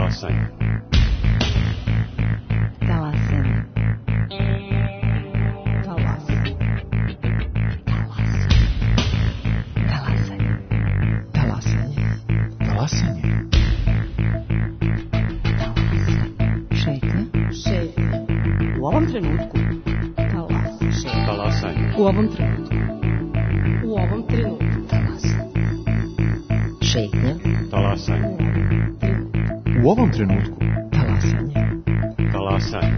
Talasanje. Talasanje. Talasanje. Talasanje. Talasanje. Šetnja. Šetnja. U ovom trenutku. Talasanje. U ovom trenutku. U ovom trenutku. Talasanje. Šetnja. Talasanje. U ovom trenutku. Talasanje. Talasanje.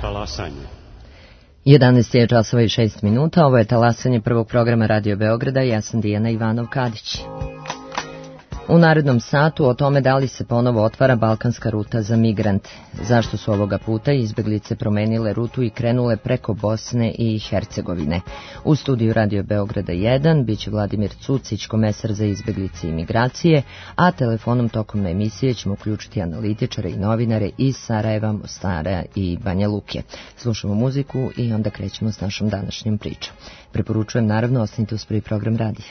Talasanje. 11 je časova i 6 minuta, ovo je talasanje prvog programa Radio Beograda, ja sam Dijana Ivanov-Kadić. U narednom satu o tome da li se ponovo otvara balkanska ruta za migrante, zašto su ovoga puta izbeglice promenile rutu i krenule preko Bosne i Hercegovine. U studiju Radio Beograda 1 biće Vladimir Cucić, komesar za izbeglice i migracije, a telefonom tokom emisije ćemo uključiti analitičare i novinare iz Sarajeva, Mostara i Banja Luke. Slušamo muziku i onda krećemo s našom današnjom pričom. Preporučujem naravno ostanite uz prvi program radija.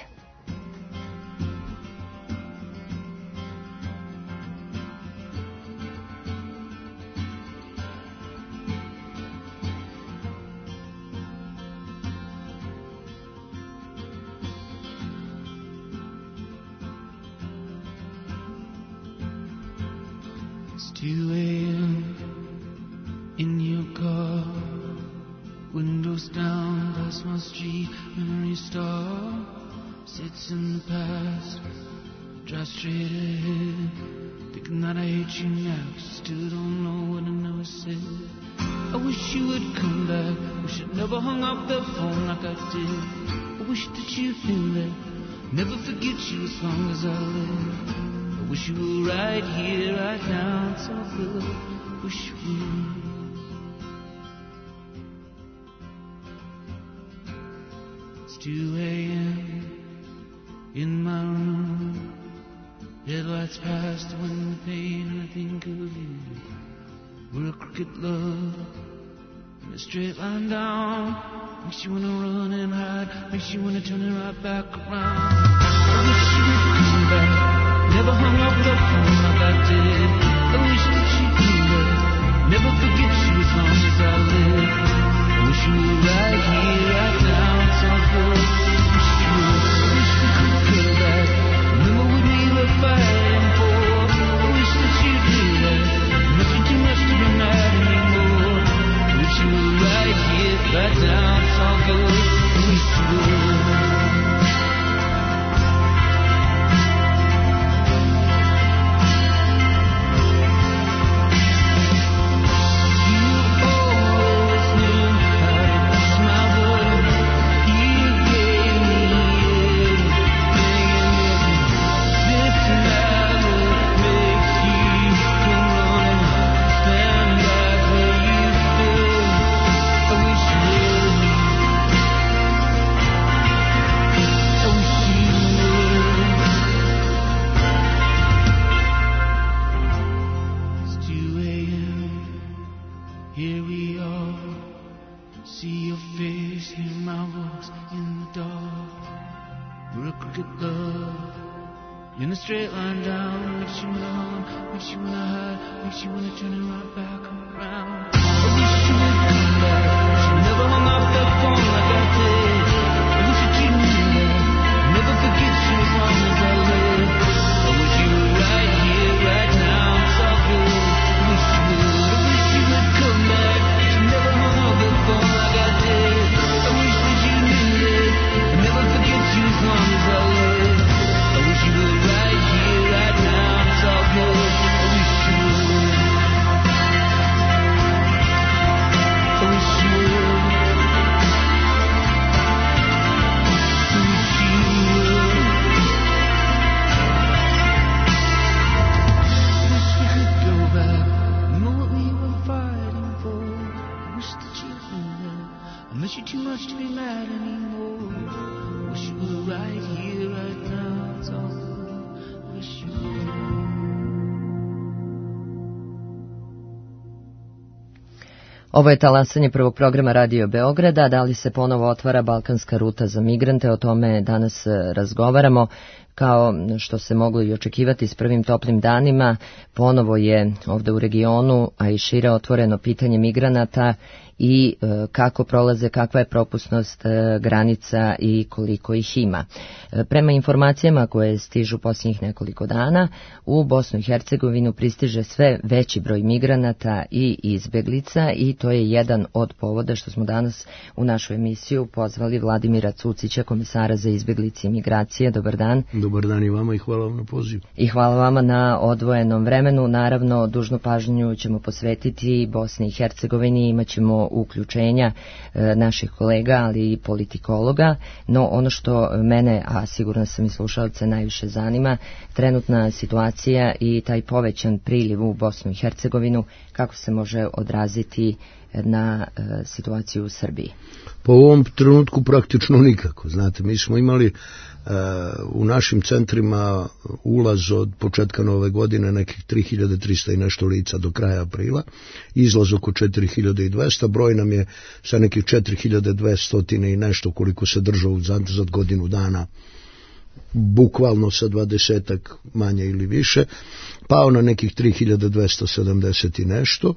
In your car, windows down, past my street, memory star sits in the past, drive straight ahead, thinking that I hate you now, still don't know what I never said. I wish you would come back, wish I'd never hung up the phone like I did. I wish that you knew that, never forget you as long as I live. I wish you were right here, right now, it's all good, wish you would. It's 2 a.m. in my room, headlights past the window pane, and I think of you. We're a crooked love, in a straight line down, makes you wanna run and hide, makes you wanna turn it right back around. I wish you would come back, never hung up the phone like I did. I wish that you knew that, never forget you as long as I live. I wish you were right here, right now, it's all good. Wish you would, wish we could go back, remember what we were fighting for. I wish that you knew that, nothing too much to be mad anymore. I wish you were right here, right now, it's all good. Wish you would. Straight line down, makes you wanna run, makes you wanna hide, makes you wanna turn it right back around. I wish you would come back, wish you never hung up the phone like I did. I wish that you knew that, never forget you as long as I live. I wish you were right here, right now, it's all good. I wish you would, I wish you would come back, wish you never hung up the phone like I did. I wish that you knew that, I never forget you as long as I live. I wish you were right here, right now, it's all good. I wish you would. much to be mad anymore. Wish you were right here, right now. It's all I wish you were. Ovo je talasanje prvog programa Radio Beograda. Da li se ponovo otvara balkanska ruta za migrante? O tome danas razgovaramo. Kao što se moglo i očekivati s prvim toplim danima, ponovo je ovde u regionu, a i šire, otvoreno pitanje migranata i kako prolaze, kakva je propusnost granica i koliko ih ima. Prema informacijama koje stižu posljednjih nekoliko dana, u Bosnu i Hercegovinu pristiže sve veći broj migranata i izbeglica i to je jedan od povoda što smo danas u našu emisiju pozvali Vladimira Cucića, komesara za izbeglice i migracije. Dobar dan. Dobar dan i vama i hvala vam na pozivu. I hvala vama na odvojenom vremenu. Naravno, dužnu pažnju ćemo posvetiti Bosni i Hercegovini, imat ćemo uključenja naših kolega, ali i politikologa, no ono što mene, a sigurno sam i slušalce, najviše zanima, trenutna situacija i taj povećan priliv u Bosnu i Hercegovinu, kako se može odraziti na situaciju u Srbiji? Po ovom trenutku praktično nikako. Znate, mi smo imali u našim centrima ulaz od početka nove godine nekih 3300 i nešto lica do kraja aprila, izlaz oko 4200, broj nam je sa nekih 4200 i nešto koliko se držao za godinu dana, bukvalno sa 20 manje ili više, pao na nekih 3270 i nešto.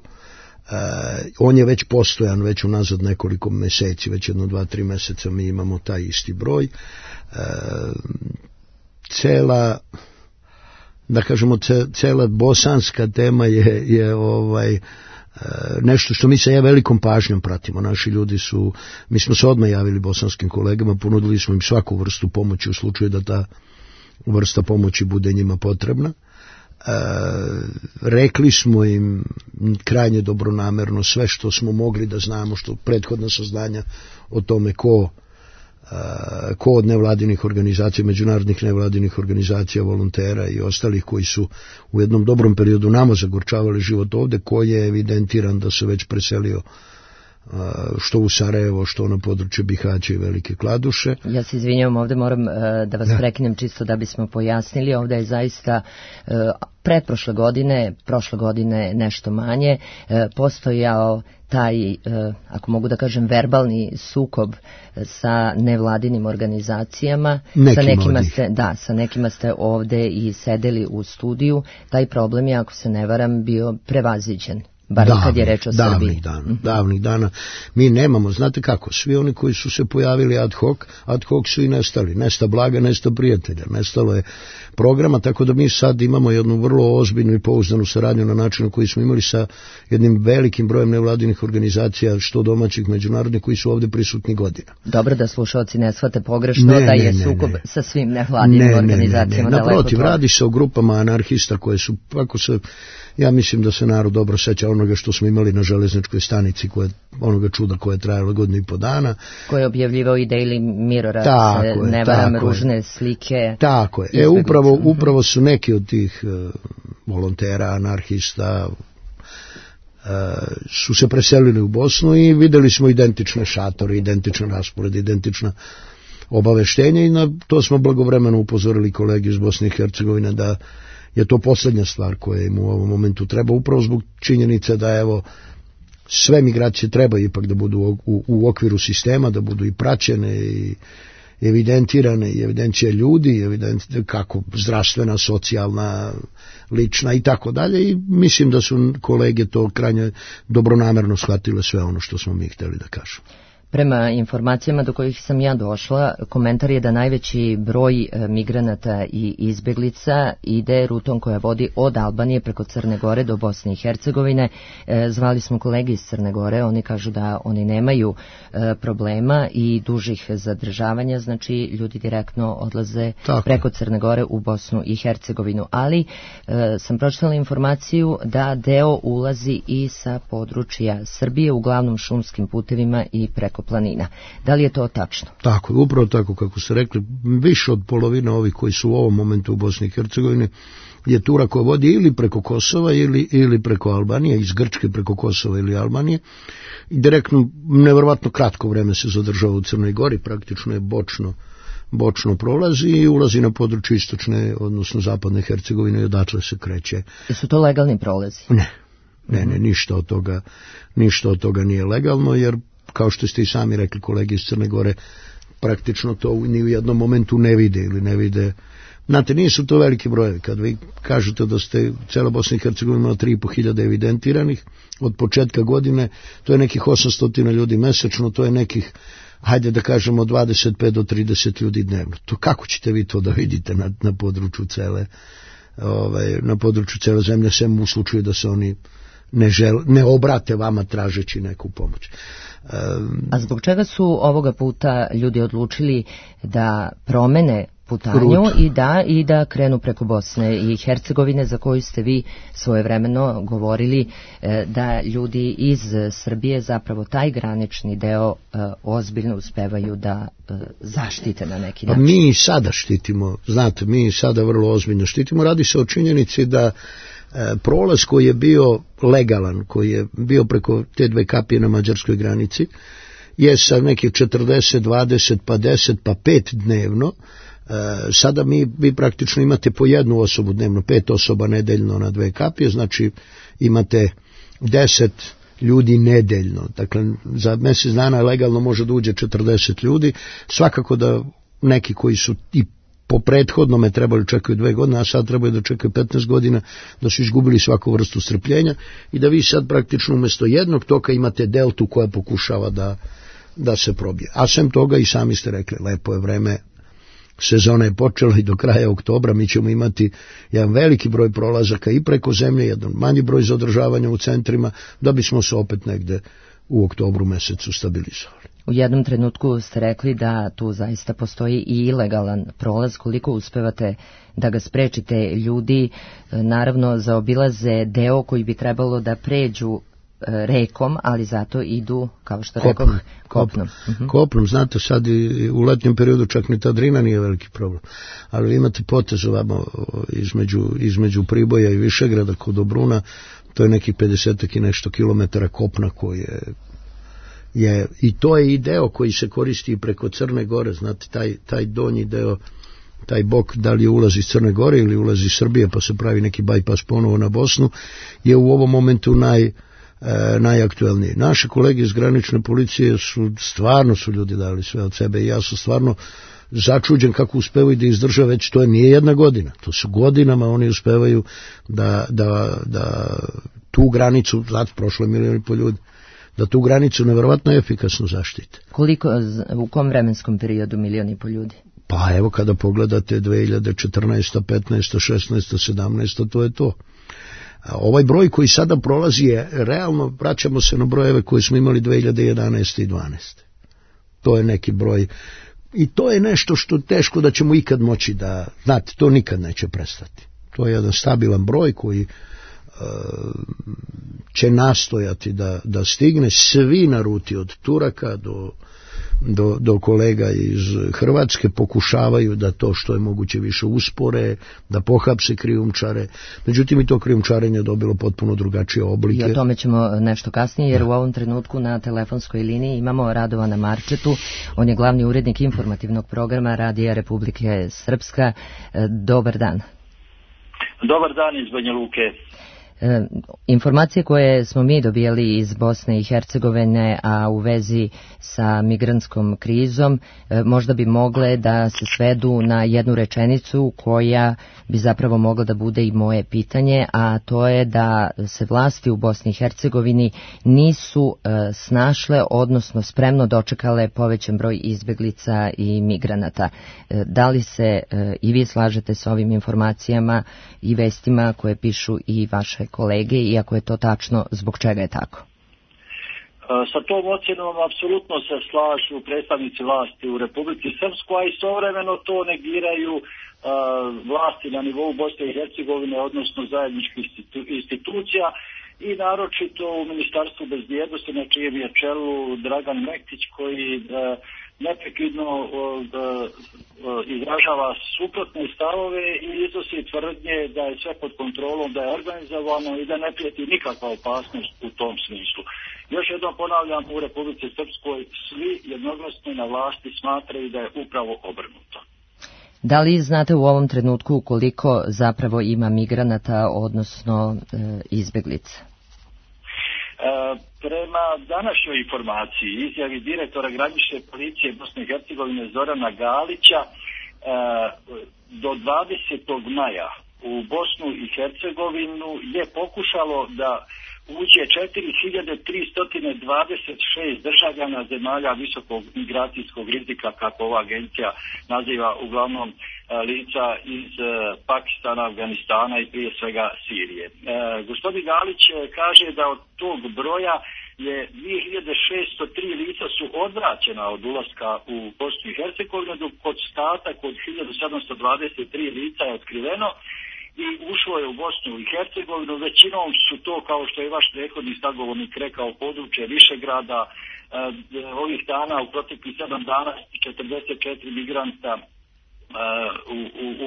On je već postojan, već unazad nekoliko meseci, već 1-2-3 meseca mi imamo taj isti broj. Cela bosanska tema je nešto što mi sa velikom pažnjom pratimo. Naši ljudi mi smo se odmah javili bosanskim kolegama, ponudili smo im svaku vrstu pomoći u slučaju da ta vrsta pomoći bude njima potrebna. Rekli smo im krajnje dobronamerno sve što smo mogli da znamo, što prethodna saznanja o tome ko od nevladinih organizacija, međunarodnih nevladinih organizacija, volontera i ostalih koji su u jednom dobrom periodu nama zagorčavali život ovde, ko je evidentiran da se već preselio što u Sarajevo, što na području Bihaća i Velike Kladuše. Ja se izvinjavam, ovde moram da vas prekinem čisto da bismo pojasnili. Ovde je zaista prošle godine nešto manje, postojao taj, ako mogu da kažem, verbalni sukob sa nevladinim organizacijama. Sa nekima ste ovde i sedeli u studiju. Taj problem je, ako se ne varam, bio prevaziđen. Bar kad je reč o Srbiji. Davnih dana. Mi nemamo, znate kako, svi oni koji su se pojavili ad hoc su i nestali. Nesta blaga, nesta prijatelja. Nestalo je programa, tako da mi sad imamo jednu vrlo ozbiljnu i pouzdanu saradnju na načinu koji smo imali sa jednim velikim brojem nevladinih organizacija, što domaćih, međunarodnih, koji su ovde prisutni godina. Dobro, da slušalci ne shvate pogrešno da je sukob sa svim nevladinim organizacijama. Naprotiv, radi se o grupama anarhista koje su, ja mislim da se narod dobro seća onoga što smo imali na železničkoj stanici, onoga čuda koje je trajalo godinu i po dana. Koje je objavljivao i Daily Mirror, ne varam, ružne slike. Tako je. Upravo su neki od tih volontera, anarhista su se preselili u Bosnu i videli smo identične šatore, identične rasporede, identična obaveštenja i na to smo blagovremeno upozorili kolege iz Bosne i Hercegovine da je to posljednja stvar koja im u ovom momentu treba, upravo zbog činjenice da sve migracije treba ipak da budu u okviru sistema, da budu i praćene i evidentirane, i evidencija ljudi, kako zdravstvena, socijalna, lična i tako dalje, i mislim da su kolege to krajnje dobronamerno shvatile sve ono što smo mi hteli da kažemo. Prema informacijama do kojih sam ja došla, komentar je da najveći broj migranata i izbeglica ide rutom koja vodi od Albanije preko Crne Gore do Bosne i Hercegovine. Zvali smo kolege iz Crne Gore, oni kažu da oni nemaju problema i dužih zadržavanja, znači ljudi direktno odlaze preko Crne Gore u Bosnu i Hercegovinu. Ali sam pročitala informaciju da deo ulazi i sa područja Srbije, uglavnom šumskim putevima i preko brdsko-planina. Da li je to tačno? Tako, upravo tako kako ste rekli, više od polovine ovih koji su u ovom momentu u Bosni i Hercegovini je tura koja vodi ili preko Kosova ili preko Albanije, iz Grčke preko Kosova ili Albanije, i direktno, nevjerovatno kratko vreme se zadržava u Crnoj Gori, praktično je bočno prolazi i ulazi na područje istočne, odnosno zapadne Hercegovine i odatle se kreće. Su to legalni prolazi? Ne, ništa od toga nije legalno, jer kao što ste i sami rekli, kolege iz Crne Gore praktično to ni u jednom momentu ne vide. Znate, nisu to veliki brojevi. Kad vi kažete da ste cela Bosna i Hercegovina imala 3.500 evidentiranih od početka godine, to je nekih 800 ljudi mesečno, to je nekih, hajde da kažemo, 25 do 30 ljudi dnevno. To kako ćete vi to da vidite na području cele zemlje, sem u slučaju da se oni ne obrate vama tražeći neku pomoć. A zbog čega su ovoga puta ljudi odlučili da promene putanju i da krenu preko Bosne i Hercegovine, za koju ste vi svojevremeno govorili da ljudi iz Srbije zapravo taj granični deo ozbiljno uspevaju da zaštite na neki način? Mi i sada štitimo, znate, mi i sada vrlo ozbiljno štitimo. Radi se o činjenici da prolaz koji je bio legalan, koji je bio preko te 2 kapije na mađarskoj granici, je sa nekih 40, 20, pa 10, pa 5 dnevno. Sada vi praktično imate po 1 osobu dnevno, 5 osoba nedeljno na 2 kapije, znači imate 10 ljudi nedeljno. Dakle, za mjesec dana legalno može da uđe 40 ljudi. Svakako da neki koji su i po prethodnome trebali čekaju 2 godine, a sad trebaju da čekaju 15 godina, da su izgubili svaku vrstu strpljenja i da vi sad praktično umjesto jednog toka imate deltu koja pokušava da se probije. A sem toga i sami ste rekli, lepo je vreme, sezona je počela i do kraja oktobra mi ćemo imati jedan veliki broj prolazaka i preko zemlje, jedan manji broj zadržavanja u centrima, da bismo se opet negde u oktobru mesecu stabilizovali. U jednom trenutku ste rekli da tu zaista postoji i ilegalan prolaz. Koliko uspevate da ga sprečite? Ljudi naravno zaobilaze deo koji bi trebalo da pređu rekom, ali zato idu, kao što rekoh, kopnom. Kopnom, znate, sad i u letnjem periodu čak ni ta Drina nije veliki problem. Ali vi imate potez ovamo između Priboja i Višegrada kod Dobruna, to je nekih 50 i nešto kilometara kopna koji je i to je i deo koji se koristi preko Crne Gore, znate, taj donji deo, taj bok, da li ulazi iz Crne Gore ili ulazi iz Srbije pa se pravi neki bajpas ponovo na Bosnu, je u ovom momentu najaktuelniji. Naše kolege iz granične policije stvarno su ljudi dali sve od sebe i ja sam stvarno začuđen kako uspevaju da izdrža, već to nije 1 godina, to su godinama oni uspevaju da tu granicu, znate, prošlo je 1,5 miliona ljudi, da tu granicu nevjerovatno efikasno zaštite. U kom vremenskom periodu 1,5 miliona ljudi? Pa evo kada pogledate 2014, 15, 16, 17, to je to. A ovaj broj koji sada prolazi je realno, vraćamo se na brojeve koje smo imali 2011. i 2012. To je neki broj i to je nešto što teško da ćemo ikad moći da, znate, to nikad neće prestati. To je jedan stabilan broj koji će nastojati da stigne svi na ruti od Turaka do kolega iz Hrvatske, pokušavaju da to što je moguće više uspore, da pohapse krijumčare. Međutim, i to krijumčarenje dobilo potpuno drugačije oblike. I o tome ćemo nešto kasnije, jer u ovom trenutku na telefonskoj liniji imamo Radovana Marčetu. On je glavni urednik informativnog programa Radija Republike Srpska. Dobar dan. Dobar dan iz Banja Luke. Informacije koje smo mi dobijali iz Bosne i Hercegovine, a u vezi sa migrantskom krizom, možda bi mogle da se svedu na jednu rečenicu koja bi zapravo mogla da bude i moje pitanje, a to je da se vlasti u Bosni i Hercegovini nisu snašle, odnosno spremno dočekale povećan broj izbeglica i migranata. Da li se i vi slažete s ovim informacijama i vestima koje pišu i vaše kolege, iako je to tačno, zbog čega je tako? Sa tom ocjenom apsolutno se slažu predstavnici vlasti u Republici Srpskoj, a istovremeno to negiraju vlasti na nivou Bosne i Hercegovine, odnosno zajedničkih institucija, i naročito u Ministarstvu bezbjednosti na čijem je čelu Dragan Mektić koji neprekidno izražava suprotne stavove i iznosi tvrdnje da je sve pod kontrolom, da je organizovano i da ne prijeti nikakva opasnost u tom smislu. Još jednom ponavljam, u Republici Srpskoj svi jednoglasno na vlasti smatraju da je upravo obrnuto. Da li znate u ovom trenutku koliko zapravo ima migranata, odnosno izbjeglica? Prema današnjoj informaciji, izjavi direktora granične policije Bosne i Hercegovine Zorana Galića, do 20. maja u Bosnu i Hercegovinu je pokušalo da uđe 4326 državljana zemalja visokog migracijskog rizika, kako ova agencija naziva uglavnom lica iz Pakistana, Afganistana i prije svega Sirije. Gospodin Galić kaže da od tog broja je 2603 lica su odvraćena od ulaska u Bosnu i Hercegovinu, dok ostatak od 1723 lica je otkriveno i ušlo je u Bosnu i Hercegovinu. Većinom su to, kao što je vaš prethodni sagovornik rekao, područje Višegrada. Ovih dana, u proteklih 7 dana, 44 migranta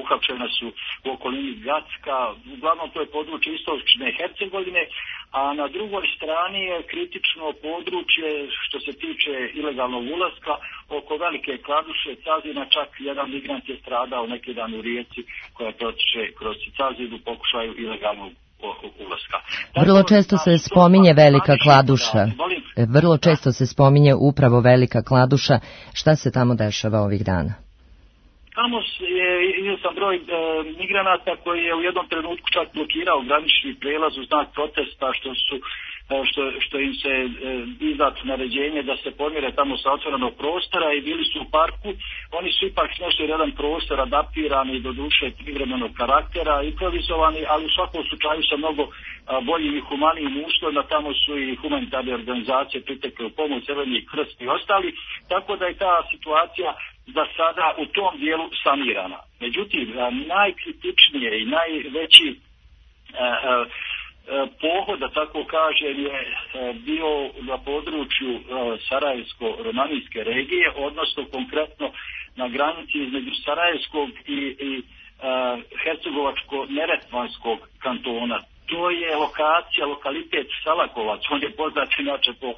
uhapšena su u okolini Gacka. Uglavnom to je područje istočne Hercegovine, a na drugoj strani je kritično područje što se tiče ilegalnog ulaska oko Velike Kladuše, Cazina. Čak jedan migrant je stradao neki dan u rijeci koja protiče kroz Cazinu u pokušaju ilegalnog ulaska. Vrlo često se spominje Velika Kladuša. Vrlo često se spominje upravo Velika Kladuša. Šta se tamo dešava ovih dana? Tamo je izvjestan broj migranata koji je u jednom trenutku čak blokirao granični prijelaz u znak protesta što im se izdat naređenje da se pomire tamo sa otvorenog prostora i bili su u parku. Oni su ipak našli jedan prostor adaptirani do duše privremenog karaktera, improvizovani, ali u svakom slučaju sa mnogo boljim i humanijim uslovima. Tamo su i humanitarne organizacije pritekle u pomoć, Crveni krst i ostali, tako da je ta situacija za sada u tom dijelu sanirana. Međutim, najkritičnije i najveći pohod, da tako kažem, je bio na području Sarajevsko-romanijske regije, odnosno konkretno na granici između Sarajevskog i Hercegovačko-Neretvanskog kantona. To je lokalitet Salakovac, on je poznat inače po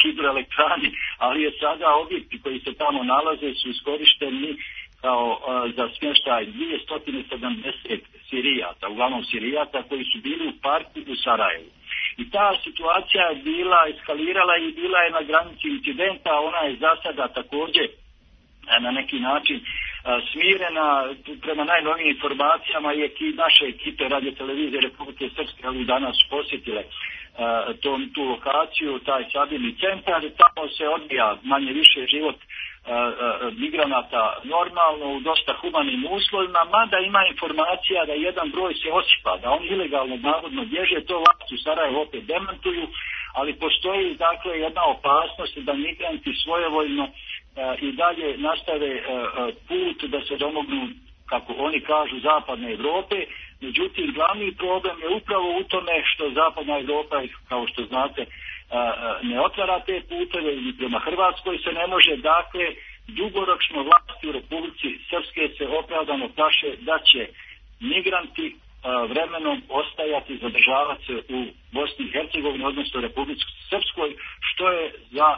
hidroelektrani, ali je sada objekti koji se tamo nalaze su iskorišteni kao za smještaj 270 Sirijaca, uglavnom Sirijaca koji su bili u parku u Sarajevu. I ta situacija je bila eskalirala i bila je na granici incidenta. Ona je za sada također na neki način smirena. Prema najnovijim informacijama je naše ekipe Radio televizije Republike Srpske ali danas posjetile tu lokaciju, taj sabirni centar. Tamo se odvija manje više život migranata normalno u dosta humanim uslovima, mada ima informacija da jedan broj se osipa, da oni ilegalno navodno bježe. To vlasti u Sarajevu opet demantuju, ali postoji dakle jedna opasnost da migranti svojevoljno i dalje nastave put da se domognu, kako oni kažu, zapadne Europe. Međutim, glavni problem je upravo u tome što zapadna Europa, kao što znate, ne otvara te puteve i prema Hrvatskoj se ne može. Dakle, dugoročno vlasti u Republici Srpske se opravdano plaše da će migranti vremenom ostajati, zadržavati se u Bosni i Hercegovini, odnosno Republici Srpskoj, što je za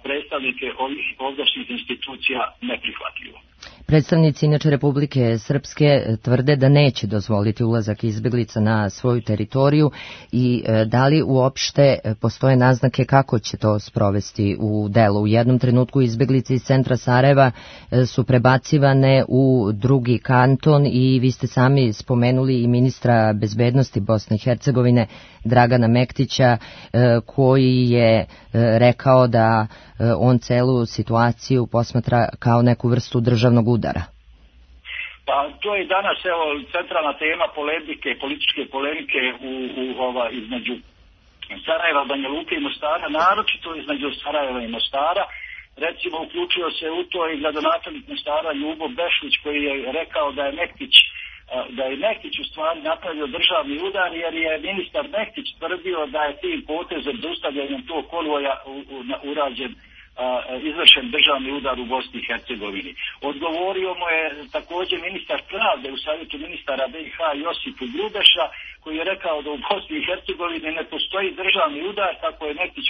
predstavnike ovih ovdašnjih institucija neprihvatljivo. Predstavnici inače Republike Srpske tvrde da neće dozvoliti ulazak izbjeglica na svoju teritoriju i da li uopšte postoje naznake kako će to sprovesti u delu. U jednom trenutku izbjeglice iz centra Sarajeva su prebacivane u drugi kanton i vi ste sami spomenuli i ministra bezbednosti Bosne i Hercegovine Dragana Mektića koji je rekao da on celu situaciju posmatra kao neku vrstu državnog udara. Pa to je danas centralna tema polemike, političke polemike između Sarajeva, Banja Luke i Mostara, naročito između Sarajeva i Mostara. Recimo, uključio se u to i gradonačelnik Mostara Ljubo Bešlić koji je rekao da je Mektić da je Mektić u stvari napravio državni udar, jer je ministar Mektić tvrdio da je tim potezom zaustavljanjem tog konvoja urađen izvršen državni udar u Bosni i Hercegovini. Odgovorio mu je također ministar pravde u savjetu ministara BiH Josip Grubeša, koji je rekao da u Bosni i Hercegovini ne postoji državni udar, kako je Mektić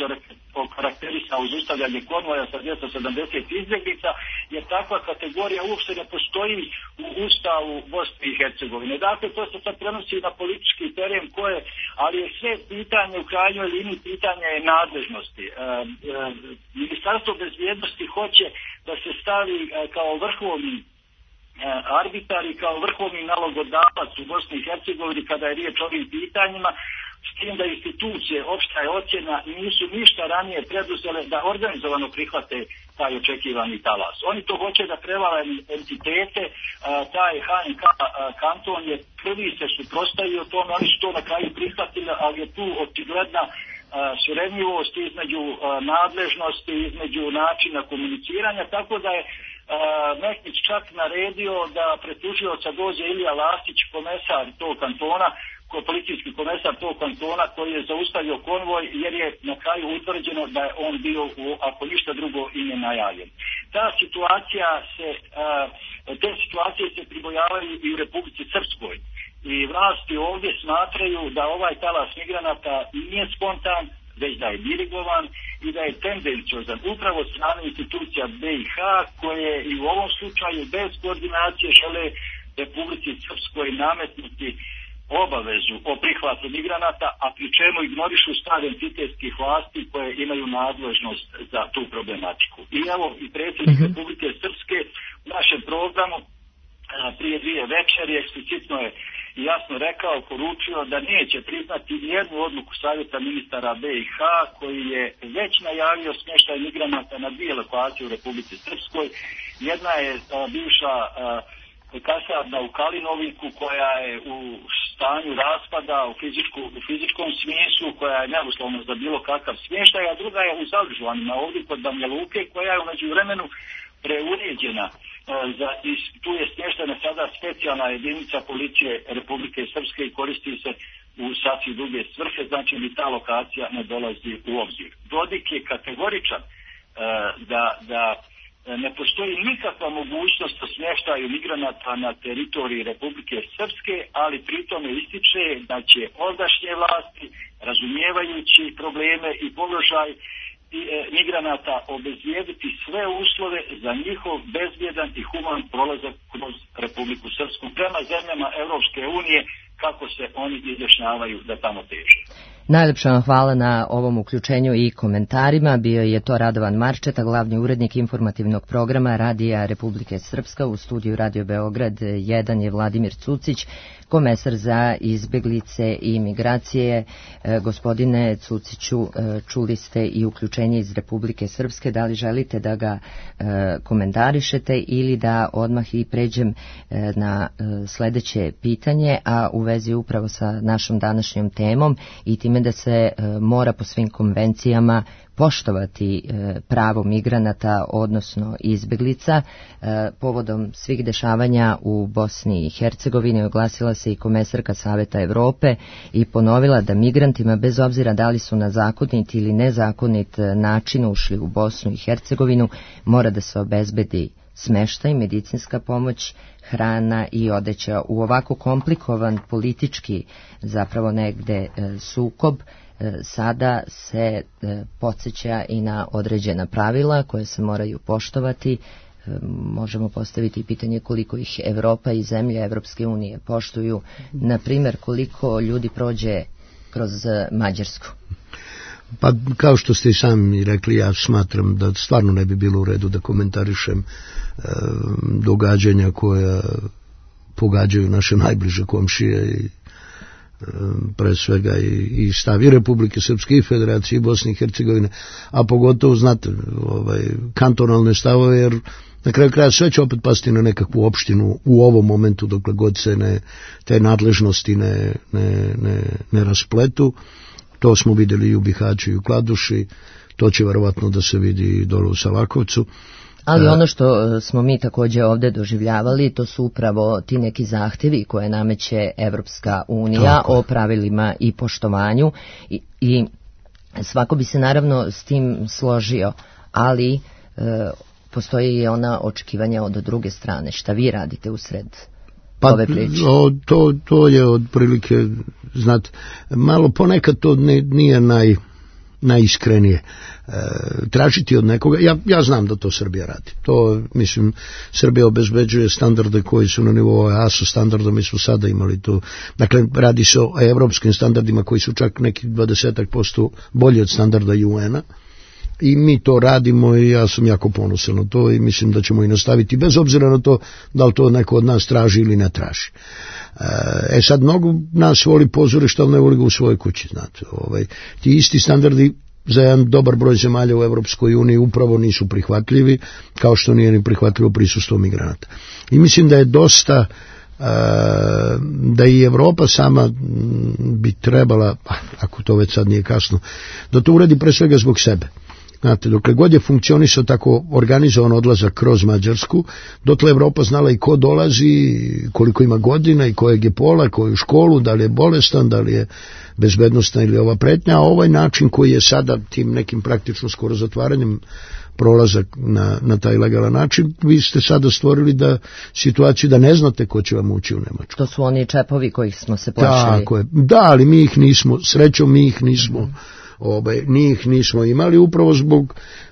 okarakterisao zaustavljanje konvoja sa 270 izbjeglica, jer takva kategorija uopšte ne postoji u Ustavu Bosne i Hercegovine. Dakle, to se sad prenosi na politički teren ali je sve pitanje u krajnjoj liniji, pitanje je nadležnosti. Ministarstvo bezbjednosti hoće da se stavi kao vrhovni arbitar i kao vrhovni nalogodavac u Bosni i Hercegovini kada je riječ o ovim pitanjima, s tim da institucije, opšta je ocjena, nisu ništa ranije preduzele da organizovano prihvate taj očekivani talas. Oni to hoće da prevale entitete, taj HNK kanton je prvi se suprotstavio tome, oni su to na kraju prihvatili, ali je tu očigledna suradnjivost između nadležnosti, između načina komuniciranja, tako da je Mektić čak naredio da pred tužioca dođe Ilija Lasić, komesar tog kantona, policijski komesar tog kantona, koji je zaustavio konvoj, jer je na kraju utvrđeno da je on bio, ako ništa drugo, i nenajavljen. Te situacije se pribojavaju i u Republici Srpskoj. I vlasti ovdje smatraju da ovaj talas migranata nije spontan, već da je dirigovan i da je tendenciozan upravo od strane institucija BiH, koje i u ovom slučaju bez koordinacije žele Republici Srpskoj nametnuti obavezu o prihvatu migranata, a pri čemu ignorišu stav entitetskih vlasti koje imaju nadležnost za tu problematiku. I evo, i predsjednik Republike Srpske u našem programu prije 2 večeri eksplicitno je jasno rekao, poručio da neće priznati jednu odluku savjeta ministara BiH, koji je već najavio smještaj migranata na 2 lokacije u Republici Srpskoj. Jedna je bivša kasarna u Kalinoviku, koja je u stanju raspada u fizičkom smislu, koja je neuslovna za bilo kakav smještaj, a druga je u Zalžuanima, ovdje kod Banja Luke, koja je u međuvremenu preuređena. Tu je smještena sada specijalna jedinica policije Republike Srpske i koristi se u sasvim druge svrhe, znači ni ta lokacija ne dolazi u obzir. Dodik je kategoričan da ne postoji nikakva mogućnost o smještaju migranata na teritoriji Republike Srpske, ali pritome ističe da će ovdašnje vlasti, razumijevajući probleme i položaj migranata, obezbijediti sve uslove za njihov bezbjedan i human prolazak kroz Republiku Srpsku prema zemljama Europske unije, kako se oni izjašnjavaju da tamo teže. Najlepša vam hvala na ovom uključenju i komentarima. Bio je to Radovan Marčeta, glavni urednik informativnog programa Radija Republike Srpska. U studiju Radio Beograd 1 je Vladimir Cucić, komesar za izbjeglice i migracije. Gospodine Cuciću, čuli ste i uključenje iz Republike Srpske. Da li želite da ga komentarišete ili da odmah i pređem na sljedeće pitanje, a u vezi upravo sa našom današnjom temom i time da se mora po svim konvencijama poštovati pravo migranata, odnosno izbjeglica. Povodom svih dešavanja u Bosni i Hercegovini oglasila se i komesarka Saveta Evrope i ponovila da migrantima, bez obzira da li su na zakonit ili nezakonit način ušli u Bosnu i Hercegovinu, mora da se obezbedi smještaj, medicinska pomoć, hrana i odeća. U ovako komplikovan politički zapravo negde sukob sada se podsjeća i na određena pravila koje se moraju poštovati. Možemo postaviti pitanje koliko ih Evropa i zemlje Evropske unije poštuju. Na primjer, koliko ljudi prođe kroz Mađarsku? Pa kao što ste i sami rekli, ja smatram da stvarno ne bi bilo u redu da komentarišem događanja koja pogađaju naše najbliže komšije i pre svega i stavi Republike Srpske i Federacije Bosne i Hercegovine, a pogotovo znate kantonalne stavove, jer na kraju kraja sve će opet pasti na nekakvu opštinu u ovom momentu dokle god se te nadležnosti ne raspletu. To smo vidjeli i u Bihaću i u Kladuši, to će verovatno da se vidi i dole u Savakovcu, Ali ono što smo mi također ovdje doživljavali, to su upravo ti neki zahtjevi koje nameće Evropska unija o pravilima i poštovanju i svako bi se naravno s tim složio, ali postoji i ona očekivanja od druge strane. Šta vi radite usred ove priče? To je otprilike, znate, malo ponekad to nije najiskrenije. Tražiti od nekoga, ja znam da to Srbija radi. To, mislim, Srbija obezbeđuje standarde koji su na nivou ASO standarda, mi smo sada imali to. Dakle, radi se o evropskim standardima koji su čak neki 20% bolji od standarda UN-a. I mi to radimo i ja sam jako ponosan na to i mislim da ćemo i nastaviti bez obzira na to da li to neko od nas traži ili ne traži. Sad mnogo nas voli pozorište, ali ne voli ga u svojoj kući, znate. Ti isti standardi za jedan dobar broj zemalja u Evropskoj uniji upravo nisu prihvatljivi, kao što nije ni prihvatljivo prisustvo migranata. I mislim da je dosta da i Evropa sama bi trebala, ako to već sad nije kasno, da to uradi pre svega zbog sebe. Znate, dokle god je funkcionisao tako organizovan odlazak kroz Mađarsku, dotle Evropa znala i ko dolazi, koliko ima godina i kojeg je pola, koju školu, da li je bolestan, da li je bezbednostna ili ova pretnja, a ovaj način koji je sada tim nekim praktično skoro zatvaranjem prolazak na taj legalan način, vi ste sada stvorili situaciju da ne znate ko će vam ući u Nemačku. To su oni čepovi kojih smo se plašili. Tako je. Da, ali mi ih nismo, srećom mi ih nismo njih nismo imali upravo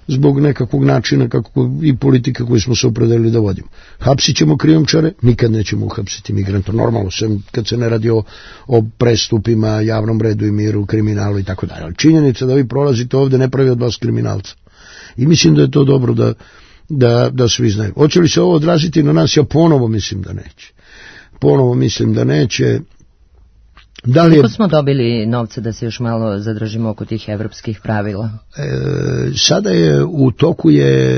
zbog nekakvog načina kako i politika koju smo se opredelili da vodimo. Hapsit ćemo krijumčare, nikad nećemo uhapsiti migranta, normalno, sem kad se ne radi o prestupima, javnom redu i miru, kriminalu i tako dalje. Ali činjenica da vi prolazite ovdje ne pravi od vas kriminalca. I mislim da je to dobro da svi znaju. Hoće li se ovo odraziti na nas? Ja ponovo mislim da neće. Koliko smo dobili novca da se još malo zadržimo oko tih evropskih pravila? Sada je u toku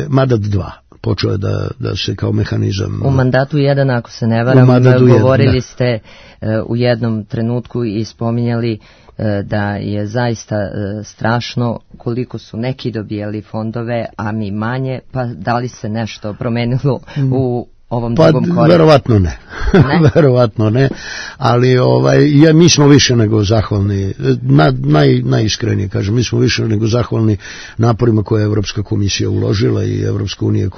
Mandat 2. Počeo je da se kao mehanizam... U mandatu 1, ako se ne varam, govorili ste u jednom trenutku i spominjali da je zaista strašno koliko su neki dobijali fondove, a mi manje, pa da li se nešto promenilo u ovom drugom koraku? Verovatno ne. Verovatno ne, ali mi smo više nego zahvalni, najiskrenije kažem, mi smo više nego zahvalni naporima koje je Evropska komisija uložila i Evropska unija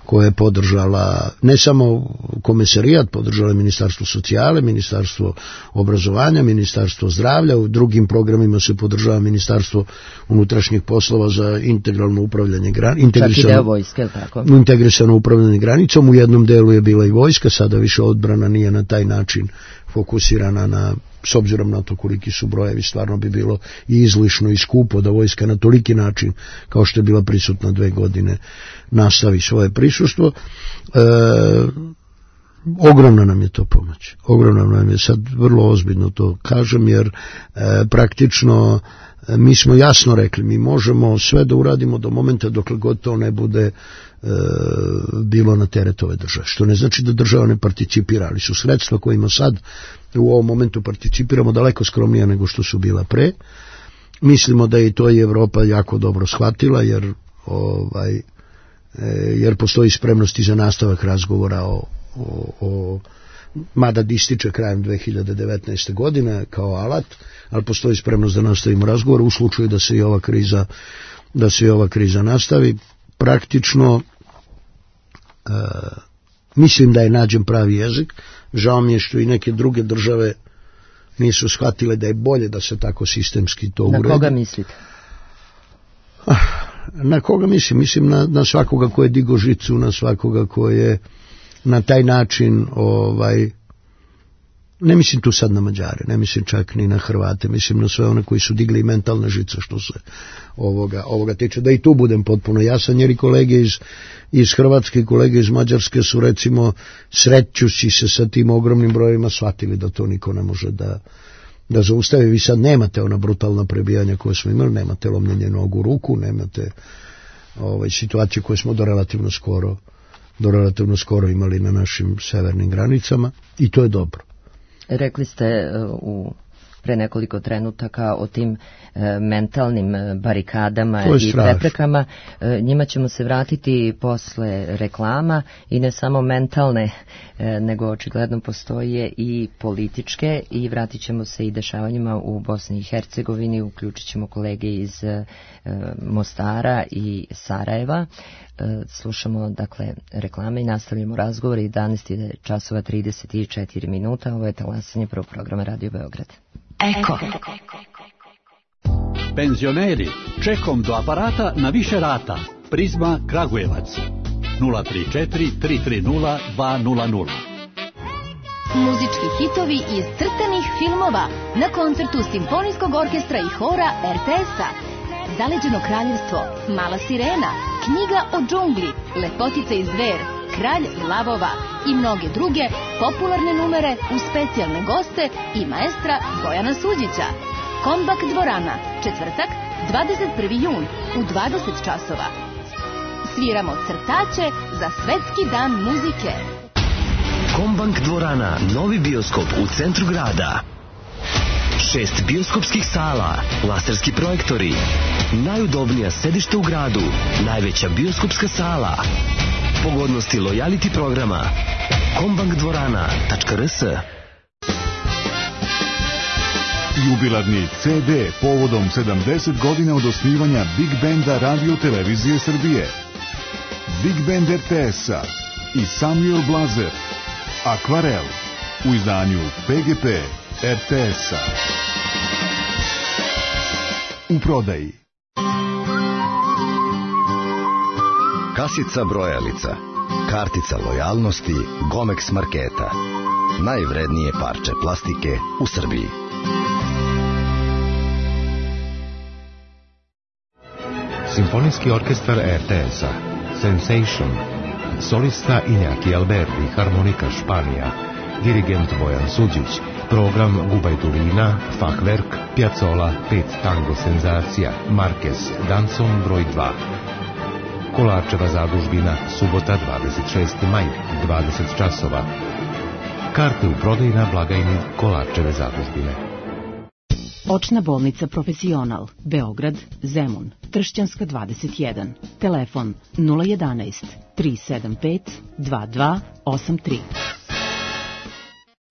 koja je podržala ne samo komesarijat, podržala je Ministarstvo socijale, Ministarstvo obrazovanja, Ministarstvo zdravlja, u drugim programima se podržava Ministarstvo unutrašnjih poslova za integralno upravljanje integrisano upravljanje granicom. U jednom delu je bila i vojska, sada više odbrana nije na taj način fokusirana s obzirom na to koliki su brojevi, stvarno bi bilo i izlišno i skupo da vojska na toliki način kao što je bila prisutna 2 godine nastavi svoje prisustvo. Ogromna nam je to pomoć. Ogromna nam je, sad vrlo ozbiljno to kažem, jer praktično mi smo jasno rekli, mi možemo sve da uradimo do momenta dokle god to ne bude bilo na teret ove države. Što ne znači da država ne participira, ali su sredstva kojima sad u ovom momentu participiramo daleko skromnija nego što su bila pre. Mislimo da je to i Evropa jako dobro shvatila, jer postoji spremnosti za nastavak razgovora mada ističe krajem 2019. godine kao alat, ali postoji spremnost da nastavimo razgovor u slučaju da se i ova kriza nastavi. Praktično mislim da je nađen pravi jezik. Žao mi je što i neke druge države nisu shvatile da je bolje da se tako sistemski to uredi. Na koga mislite? Na koga mislim? Mislim na svakoga ko je digo žicu, na svakoga ko je na taj način ne mislim tu sad na Mađare, ne mislim čak ni na Hrvate, mislim na sve one koji su digli mentalne žice što se ovoga tiče, da i tu budem potpuno jasan, jer i kolege iz Hrvatske i kolege iz Mađarske su recimo srećući se sa tim ogromnim brojevima shvatili da to niko ne može da zaustavi. Vi sad nemate ona brutalna prebijanja koje smo imali, nemate lomljenje nogu u ruku, nemate situacije koje smo do relativno skoro imali na našim severnim granicama i to je dobro. Rekli ste u pre nekoliko trenutaka o tim mentalnim barikadama i preprekama. Njima ćemo se vratiti posle reklama i ne samo mentalne, nego očigledno postoje i političke, i vratit ćemo se i dešavanjima u Bosni i Hercegovini, uključit ćemo kolege iz Mostara i Sarajeva. Slušamo dakle reklame i nastavljamo razgovor. 11 časova 34 minuta. Ovo je talasanje prvog programa Radio Beograd. Eko. Penzioneri, čekom do aparata na više rata. Prizma Kragujevac 034 330 200. Muzički hitovi iz crtanih filmova na koncertu Simfonijskog orkestra i hora RTS-a. Zaleđeno kraljevstvo, Mala sirena, Knjiga o džungli, Lepotica iz Dver, Kralj lavova i mnoge druge popularne numere uz specijalne goste i maestra Bojana Suđića. Kombak dvorana, četvrtak, 21. jun u 20 časova. Sviramo crtače za Svetski dan muzike. Kombank dvorana, novi bioskop u centru grada. 6 bioskopskih sala, laserski projektori, najudobnija sedišta u gradu, najveća bioskopska sala, pogodnosti lojality programa, kombankdvorana.rs. Jubilarni CD povodom 70 godina od osnivanja Big Banda Radio Televizije Srbije. Big Band RTS-a i Samuel Blazer, Akvarel, u izdanju PGP RTS-a. U prodaji. Kasica brojalica, kartica lojalnosti Gomex marketa. Najvrednije parče plastike u Srbiji. Simfonijski orkestar RTS-a, Sensation, solista Iñaki Alberdi, harmonika Španija, dirigent Bojan Suđić, program Gubajturina, Fachwerk, Piazzolla, 5 tango senzacija, Marquez, Danson broj 2. Kolarčeva zadužbina, subota 26. maj, 20 časova. Karte u prodaji na blagajni Kolarčeve zadužbine. Očna bolnica Profesional, Beograd, Zemun, Tršćanska 21, telefon 011 375 2283.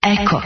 Eko.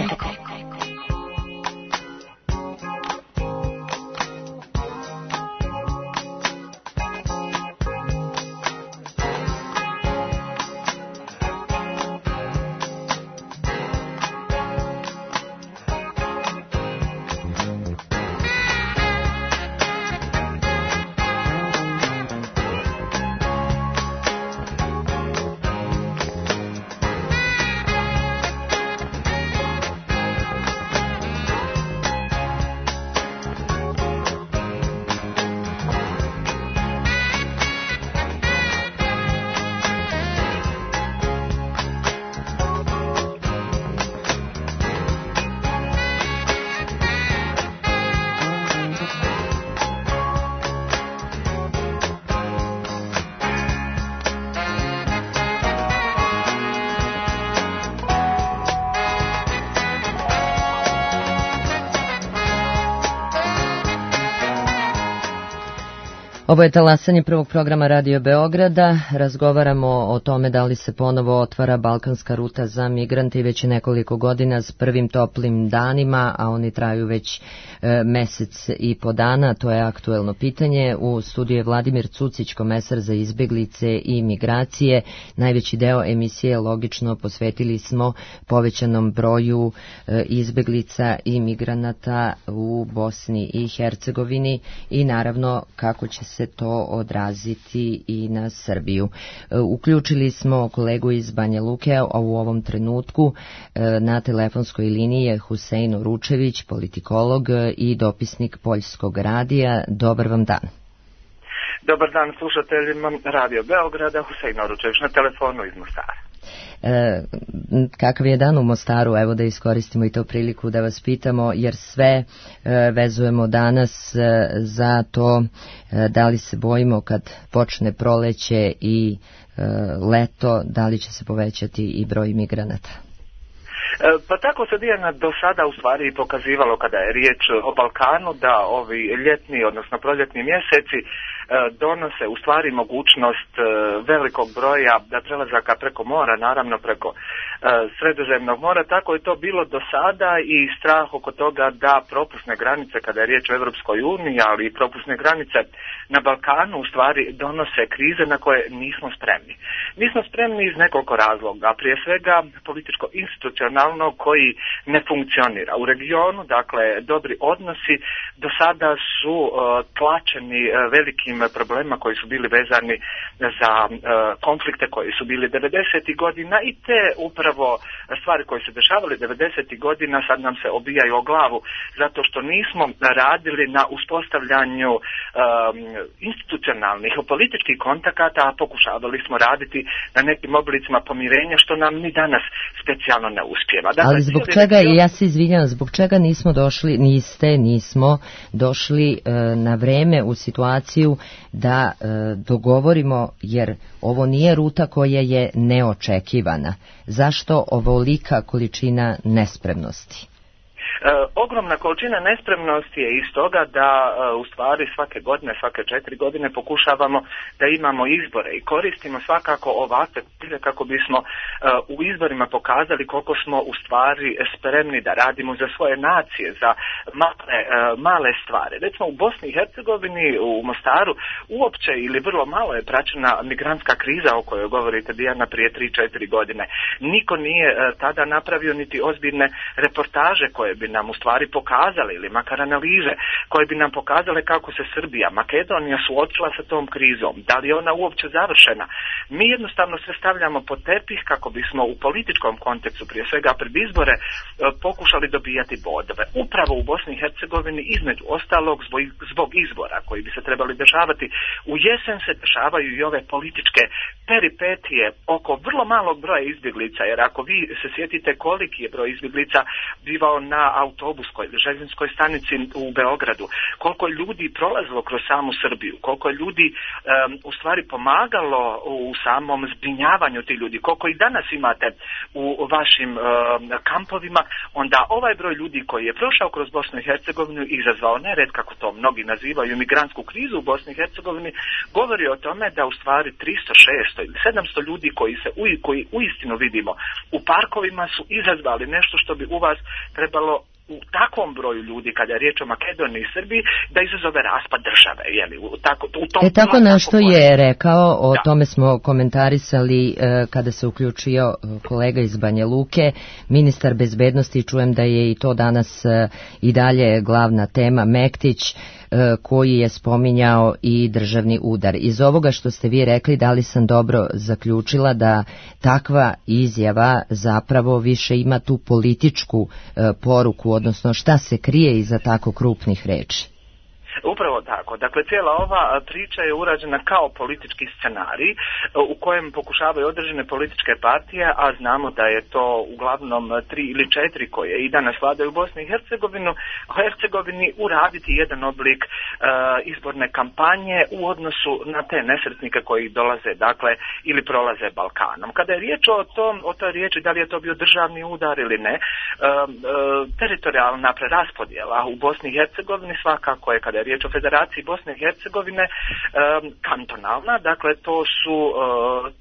Ovo je talasanje prvog programa Radio Beograda. Razgovaramo o tome da li se ponovo otvara balkanska ruta za migrante i već nekoliko godina s prvim toplim danima, a oni traju već mesec i po dana. To je aktuelno pitanje. U studiju je Vladimir Cucić, komesar za izbeglice i migracije. Najveći deo emisije logično posvetili smo povećanom broju izbeglica i migranata u Bosni i Hercegovini i naravno kako će se to odraziti i na Srbiju. Uključili smo kolegu iz Banja Luke, a u ovom trenutku na telefonskoj liniji je Husein Oručević, politikolog i dopisnik Poljskog radija. Dobar vam dan. Dobar dan slušateljima Radio Beograda, Husein Oručević na telefonu iz Mostara. Kakav je dan u Mostaru? Evo da iskoristimo i to priliku da vas pitamo, jer sve vezujemo danas za to da li se bojimo kad počne proleće i leto, da li će se povećati i broj migranata. Pa tako se Dijana do sada u stvari pokazivalo kada je riječ o Balkanu da ovi ljetni, odnosno proljetni mjeseci donose u stvari mogućnost velikog broja prelazaka preko mora, naravno preko Sredozemnog mora. Tako je to bilo do sada i strah oko toga da propusne granice kada je riječ o Europskoj uniji, ali i propusne granice na Balkanu u stvari donose krize na koje nismo spremni. Nismo spremni iz nekoliko razloga, prije svega političko-institucionalno koji ne funkcionira u regionu, dakle dobri odnosi do sada su tlačeni velikim problemima koji su bili vezani za konflikte koji su bili 90. godina i te upravo stvari koje se dešavale 90. godina sad nam se obijaju o glavu zato što nismo radili na uspostavljanju institucionalnih političkih kontakata, a pokušavali smo raditi na nekim oblicima pomirenja što nam ni danas specijalno ne uspijeva. Dakle, ali zbog čega, ja se izvinjam, zbog čega nismo došli na vreme u situaciju da dogovorimo, jer ovo nije ruta koja je neočekivana. Zašto ovolika količina nespremnosti? Ogromna količina nespremnosti je iz toga da u stvari svake 4 godine pokušavamo da imamo izbore i koristimo svakako ovakve prilike kako bismo u izborima pokazali koliko smo u stvari spremni da radimo za svoje nacije, za male stvari. Recimo u Bosni i Hercegovini, u Mostaru, uopće ili vrlo malo je praćena migrantska kriza o kojoj govorite, Dijana, prije 3-4 godine. Niko nije tada napravio niti ozbiljne reportaže koje bi nam u stvari pokazale ili makar analize koje bi nam pokazale kako se Srbija, Makedonija suočila sa tom krizom, da li je ona uopće završena. Mi jednostavno sve stavljamo pod tepih kako bismo u političkom kontekstu, prije svega pred izbore, pokušali dobijati bodove. Upravo u Bosni i Hercegovini između ostalog zbog izbora koji bi se trebali dešavati u jesen se dešavaju i ove političke peripetije oko vrlo malog broja izbjeglica, jer ako vi se sjetite koliki je broj izbjeglica bivao na autobuskoj ili željezničkoj stanici u Beogradu, koliko je ljudi prolazilo kroz samu Srbiju, koliko je ljudi u stvari pomagalo u samom zbrinjavanju tih ljudi, koliko i danas imate u vašim kampovima, onda ovaj broj ljudi koji je prošao kroz Bosnu i Hercegovinu i izazvao nered, kako to mnogi nazivaju, migrantsku krizu u Bosni i Hercegovini, govori o tome da u stvari 300, 600 ili 700 ljudi koji uistinu vidimo u parkovima su izazvali nešto što bi u vas trebalo u takvom broju ljudi, kada je riječ o Makedoniji i Srbiji, da izazove raspad države. Tako nešto je rekao, o tome smo komentarisali kada se uključio kolega iz Banja Luke, ministar bezbednosti, čujem da je i to danas i dalje glavna tema, Mektić, koji je spominjao i državni udar. Iz ovoga što ste vi rekli, da li sam dobro zaključila da takva izjava zapravo više ima tu političku poruku, odnosno šta se krije iza tako krupnih reči? Upravo tako. Dakle, cijela ova priča je urađena kao politički scenarij u kojem pokušavaju određene političke partije, a znamo da je to uglavnom 3 ili 4 koje i danas vladaju u Bosni i Hercegovini uraditi jedan oblik izborne kampanje u odnosu na te nesretnike koji dolaze, dakle, ili prolaze Balkanom. Kada je riječ o toj riječi, da li je to bio državni udar ili ne, teritorijalna preraspodjela u Bosni i Hercegovini svakako je, kada je riječ o Federaciji Bosne i Hercegovine, kantonalna, dakle to su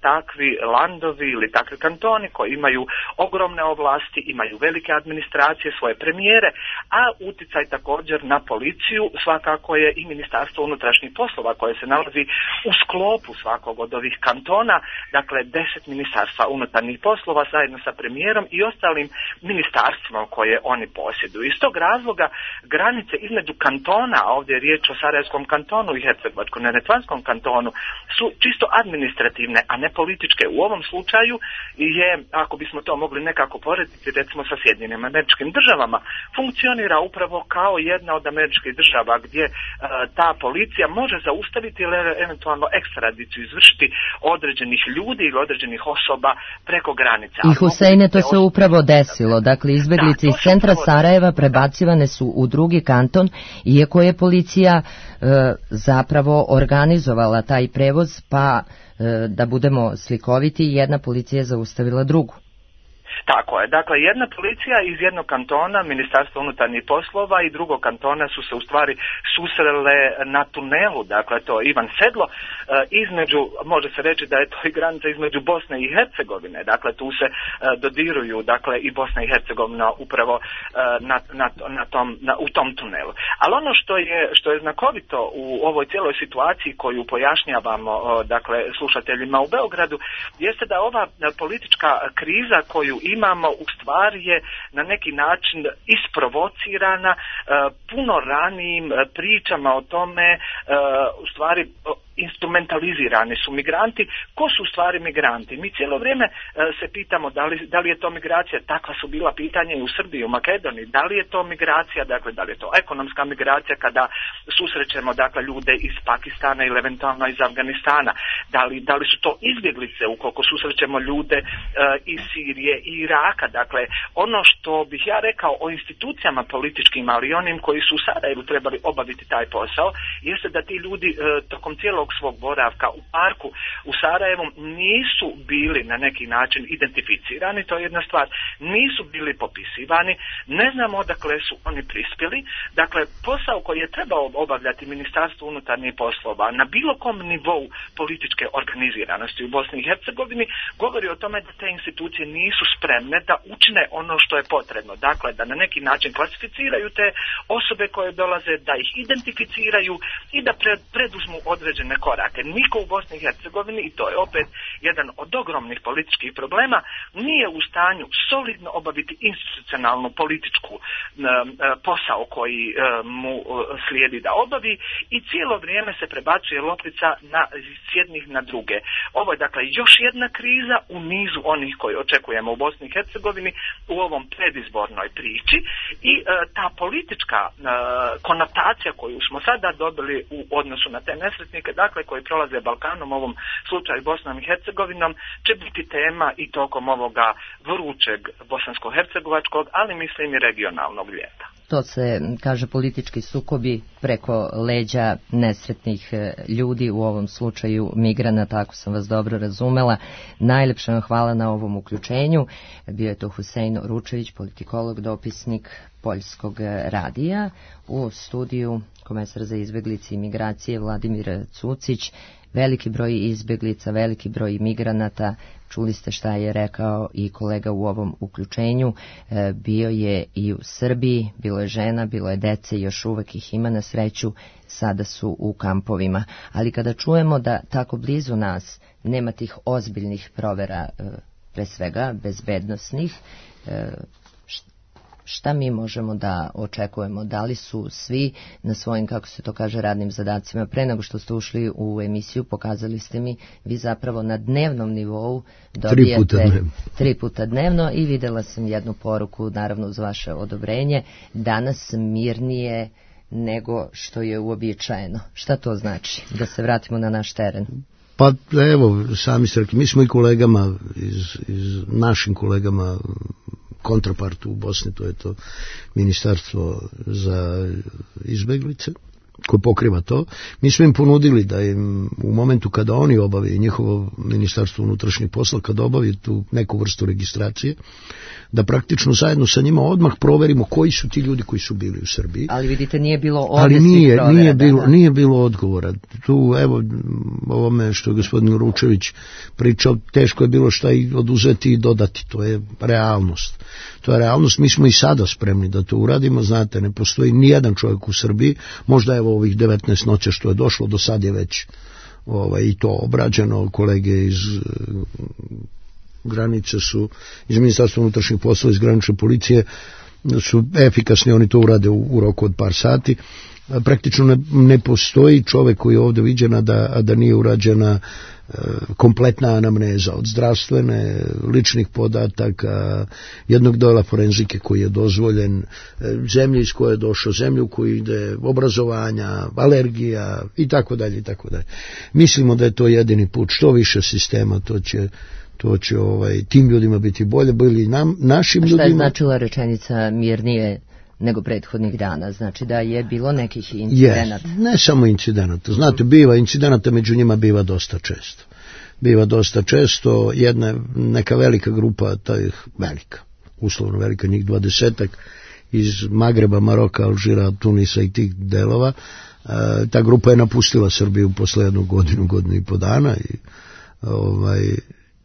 takvi landovi ili takvi kantoni koji imaju ogromne ovlasti, imaju velike administracije, svoje premijere, a uticaj također na policiju svakako je i Ministarstvo unutrašnjih poslova koje se nalazi u sklopu svakog od ovih kantona, dakle 10 ministarstva unutarnjih poslova zajedno sa premijerom i ostalim ministarstvima koje oni posjeduju. Iz tog razloga granice između kantona, a ovdje je riječ o Sarajevskom kantonu i Hercegovačko-neretvanskom kantonu, su čisto administrativne, a ne političke. U ovom slučaju je, ako bismo to mogli nekako porediti, recimo sa Sjedinjenim Američkim Državama, funkcionira upravo kao jedna od američkih država gdje ta policija može zaustaviti ili eventualno ekstradiciju izvršiti određenih ljudi ili određenih osoba preko granica. I Husejne, to se upravo desilo. Dakle, izbjeglice iz centra Sarajeva prebacivane su u drugi kanton, iako je policija zapravo organizovala taj prevoz, pa da budemo slikoviti, jedna policija zaustavila drugu. Tako je. Dakle, jedna policija iz jednog kantona, Ministarstva unutarnjih poslova, i drugog kantona su se u stvari susrele na tunelu, dakle to je Ivan Sedlo, između, može se reći da je to i granica između Bosne i Hercegovine, dakle tu se dodiruju, dakle i Bosna i Hercegovina upravo u tom tunelu. Ali ono što je znakovito u ovoj cijeloj situaciji koju pojašnjavamo, dakle, slušateljima u Beogradu, jeste da ova politička kriza koju imamo u stvari je na neki način isprovocirana puno ranijim pričama o tome, u stvari instrumentalizirani su migranti. Ko su u stvari migranti? Mi cijelo vrijeme se pitamo da li je to migracija, takva su bila pitanja i u Srbiji, u Makedoniji, da li je to migracija, dakle da li je to ekonomska migracija kada susrećemo dakle ljude iz Pakistana ili eventualno iz Afganistana, da li su to izbjeglice ukoliko susrećemo ljude iz Sirije i Iraka. Dakle, ono što bih ja rekao o institucijama političkim, ali i onim koji su u Sarajevu trebali obaviti taj posao, jeste da ti ljudi tokom cijelog svog boravka u parku u Sarajevu nisu bili na neki način identificirani, to je jedna stvar, nisu bili popisivani, ne znamo odakle su oni prispjeli. Dakle, posao koji je trebao obavljati Ministarstvo unutarnjih poslova na bilo kom nivou političke organiziranosti u Bosni i Hercegovini govori o tome da te institucije nisu spremne da učine ono što je potrebno. Dakle, da na neki način klasificiraju te osobe koje dolaze, da ih identificiraju i da preduzmu određene korake. Niko u Bosni i Hercegovini, i to je opet jedan od ogromnih političkih problema, nije u stanju solidno obaviti institucionalnu političku posao koji mu slijedi da obavi i cijelo vrijeme se prebacuje loptica s jednih na druge. Ovo je dakle još jedna kriza u nizu onih koji očekujemo u Bosni i Hercegovini u ovom predizbornoj priči i ta politička konotacija koju smo sada dobili u odnosu na te nesretnike, dakle koji prolaze Balkanom, u ovom slučaju Bosnom i Hercegovinom, će biti tema i tokom ovoga vrućeg bosansko-hercegovačkog, ali mislim i regionalnog ljeta. To se, kaže, politički sukobi preko leđa nesretnih ljudi, u ovom slučaju migranata, ako sam vas dobro razumela. Najlepša vam hvala na ovom uključenju. Bio je to Husein Ručević, politikolog, dopisnik Poljskog radija. U studiju komesar za izbjeglice i migracije Vladimir Cucić. Veliki broj izbjeglica, veliki broj migranata, čuli ste šta je rekao i kolega u ovom uključenju, bio je i u Srbiji, bilo je žena, bilo je dece, još uvek ih ima na sreću, sada su u kampovima. Ali kada čujemo da tako blizu nas nema tih ozbiljnih provera, pre svega bezbednosnih, šta mi možemo da očekujemo? Da li su svi na svojim, kako se to kaže, radnim zadacima? Pre nego što ste ušli u emisiju, pokazali ste mi, vi zapravo na dnevnom nivou dobijete 3 puta dnevno i videla sam jednu poruku, naravno uz vaše odobrenje, danas mirnije nego što je uobičajeno. Šta to znači? Da se vratimo na naš teren. Pa evo, sami ste rekli, mi smo i kolegama, našim kolegama kontrapartu u Bosni, to je to Ministarstvo za izbjeglice koje pokriva to, mi smo im ponudili da im u momentu kada oni obave, njihovo Ministarstvo unutrašnjih posla kada obavi tu neku vrstu registracije, da praktično zajedno sa njima odmah proverimo koji su ti ljudi koji su bili u Srbiji. Ali vidite, nije bilo ovdje svih provera. Nije bilo odgovora. Tu, evo, ovome što je gospodin Ručević pričao, teško je bilo šta i oduzeti i dodati. To je realnost. To je realnost. Mi smo i sada spremni da to uradimo. Znate, ne postoji nijedan čovjek u Srbiji, možda evo ovih 19 noća što je došlo, do sad je već i to obrađeno. Kolege iz granice su, iz Ministarstva unutrašnjih poslova, iz granične policije su efikasni, oni to urade u roku od par sati. Praktično ne postoji čovjek koji je ovdje viđen, a da nije urađena kompletna anamneza od zdravstvene, ličnih podataka, jednog dela forenzike koji je dozvoljen, zemlje iz koje je došao, zemlju koji ide, obrazovanja, alergija i tako dalje i tako dalje. Mislimo da je to jedini put. Što više sistema, to će tim ljudima biti bolje, bili našim ljudima. Šta je značila rečenica mirnije nego prethodnih dana? Znači da je bilo nekih incidenata? Ne samo incidenata. Znate, biva incidenata, među njima biva dosta često. biva dosta često, neka velika grupa, uslovno velika, njih 20-ak, iz Magreba, Maroka, Alžira, Tunisa i tih delova, ta grupa je napustila Srbiju posle godinu i po dana i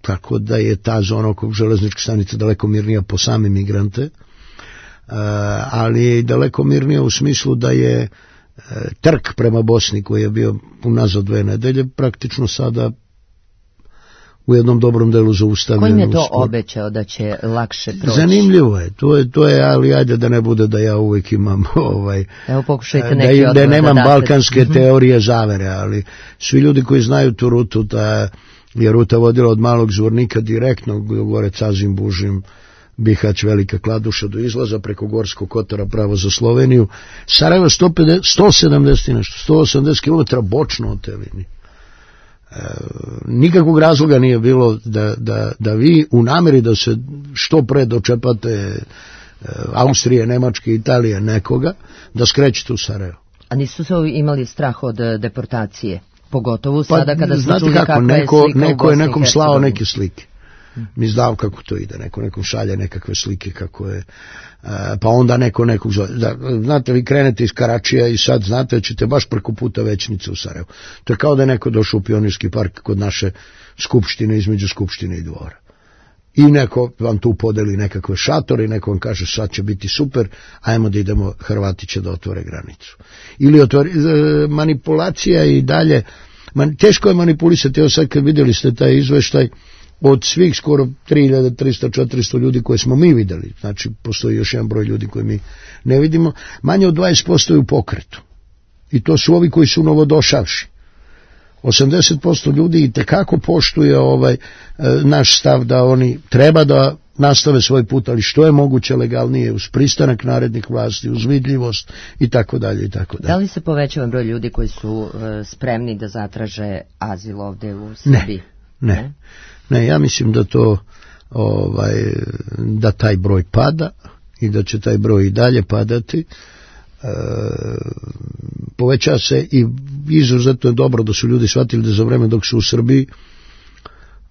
tako da je ta zona oko železničke stanice daleko mirnija po same migrante, ali je i daleko mirnija u smislu da je trk prema Bosni koji je bio unazad 2 nedelje praktično sada u jednom dobrom delu zaustavljen. Kojim je to obećao da će lakše proći? Zanimljivo je, to je, ali ajde da ne bude da ja uvijek imam evo pokušajte neki odgovor da nemam balkanske teorije zavere, ali svi ljudi koji znaju tu rutu, ta je ruta vodila od Malog Zvornika direktno gore Cazim, Bužim, Bihać, Velika Kladuša do izlaza preko Gorskog Kotara pravo za Sloveniju. Sarajevo 170 i nešto, 180 km bočno od te linije. Nikakvog razloga nije bilo da vi u nameri da se što pre dočepate Austrije, Nemačke, Italije, nekoga, da skrećete u Sarajevo. A nisu se imali strah od deportacije? Pogotovo sada kada smo čuli kakva je slika neko u Bosni i je nekom slao Hercegovini. neke slike. Mi znamo kako to ide, nekom šalje nekakve slike kako je, pa onda nekog zove. Znate, vi krenete iz Karačija i sad znate da ćete baš preko puta Većnice u Sarajevo. To je kao da je neko došao u Pionirski park kod naše skupštine, između skupštine i dvora. I neko vam tu podeli nekakve šatore i neko vam kaže sad će biti super, ajmo da idemo, Hrvati će da otvore granicu. Ili manipulacija i dalje, teško je manipulisati, evo sad kad vidjeli ste taj izveštaj, od svih skoro 3300-400 ljudi koje smo mi vidjeli, znači postoji još jedan broj ljudi koje mi ne vidimo, manje od 20% je u pokretu. I to su ovi koji su novodošavši. 80% ljudi itekako poštuje naš stav da oni treba da nastave svoj put, ali što je moguće legalnije, uz pristanak narednih vlasti, uz vidljivost i tako dalje i tako dalje. Da li se povećava broj ljudi koji su spremni da zatraže azil ovde u Srbiji? Ne, ja mislim da to da taj broj pada i da će taj broj i dalje padati. Poveća se i izuzetno je dobro da su ljudi shvatili da za vreme dok su u Srbiji